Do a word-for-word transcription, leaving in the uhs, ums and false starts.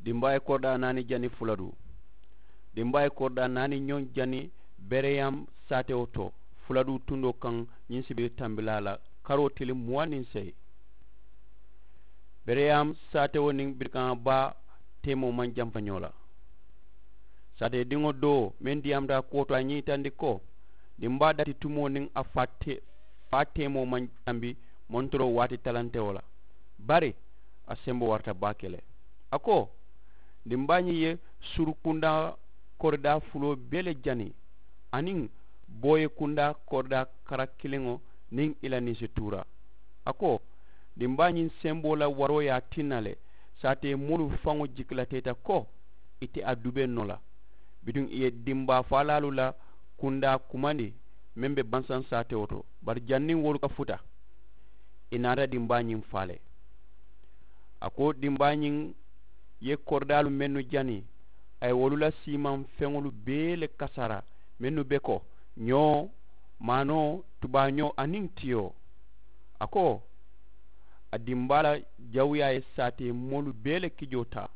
Dimbaa ye koridaa naani jani fuladuu. Dimbaa ye koridaa naani ñoŋ jani bereyam saatewo to fuladuu tundoo kaŋ. Ñiŋ sibiri tambilaa la karoo tili muwaŋ niŋ seyi. Bereyam saatewo niŋ birikaŋ baa teemoo maŋ jamfa ñoo la. Saatee diŋo doo meŋ diyaamuta a kuwo to a ye ñiŋ yitandi ko, dimbaa dati tumoo niŋ a faa teemoo maŋ jambi montoroo waati talantewo la. Bari a semboo warata baake le. A ko, dimbaa ñiŋ ye suru kundaa koridaa fuloo bee le jani, aniŋ booye kundaa koridaa kara kiliŋo niŋ i la ninsituura. A ko, dimbaa ñiŋ semboo la waroo ye a tinna le. Saatee moolu faŋo jikilateeta ko, i te a dubee noo la. Bituŋ i ye dimbaa faalaalu la kundaa kumandi meŋ be bansaŋ saatewo to, bari janniŋ wolu ka futa, i naata dimbaa ñiŋ faa le. A ko, dimbaa ñiŋ ye koridaalu mennu jani, a ye wolu la siimaŋ feŋolu bee le kasara, mennu be ko, ñoo, maanoo, tubaañoo aniŋ tiyoo. A ko, a dimbaa la jawuyaa ye saatee moolu bee le kijoo taa.